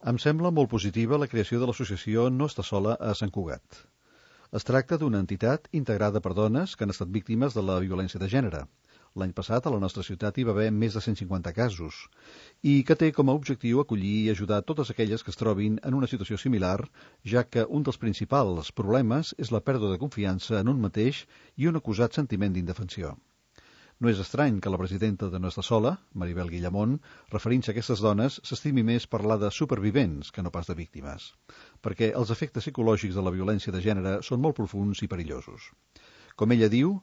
Em sembla molt positiva la creació de l'associació No Està Sola a Sant Cugat. Es tracta d'una entitat integrada per dones que han estat víctimes de la violència de gènere. L'any passat a la nostra ciutat hi va haver més de 150 casos i que té com a objectiu acollir i ajudar totes aquelles que es trobin en una situació similar, ja que un dels principals problemes és la pèrdua de confiança en un mateix i un acusat sentiment d'indefensió. No és estrany que la presidenta de No Està Sola, Maribel Guillamón, referint-se a aquestes dones, s'estimi més parlar de supervivents que no pas de víctimes, perquè els efectes psicològics de la violència de gènere són molt profunds i perillosos. Com ella diu,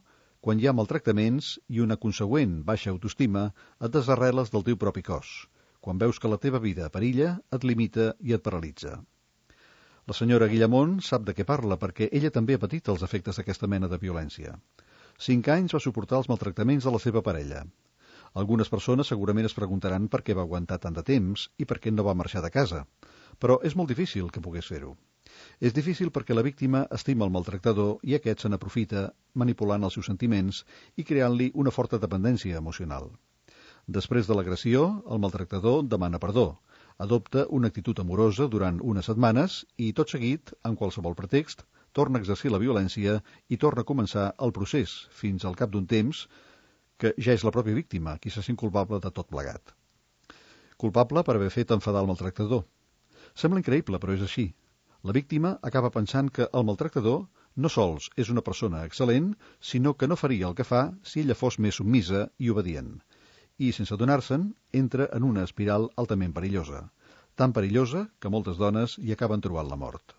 quan hi ha maltractaments i una consegüent baixa autoestima, et desarreles del teu propi cos. Quan veus que la teva vida perilla, et limita i et paralitza. La senyora Guillamón sap de què parla perquè ella també ha patit els efectes d'aquesta mena de violència. 5 anys va suportar els maltractaments de la seva parella. Algunes persones segurament es preguntaran per què va aguantar tant de temps i per què no va marxar de casa, però és molt difícil que pogués fer-ho. És difícil perquè la víctima estima el maltractador i aquest se n'aprofita manipulant els seus sentiments i creant-li una forta dependència emocional. Després de l'agressió, el maltractador demana perdó, adopta una actitud amorosa durant unes setmanes i, tot seguit, amb qualsevol pretext, torna a exercir la violència i torna a començar el procés, fins al cap d'un temps que ja és la pròpia víctima qui se sent culpable de tot plegat. Culpable per haver fet enfadar el maltractador. Sembla increïble, però és així. La víctima acaba pensant que el maltractador no sols és una persona excel·lent, sinó que no faria el que fa si ella fos més submisa i obedient. I, sense adonar-se'n, entra en una espiral altament perillosa. Tan perillosa que moltes dones hi acaben trobant la mort.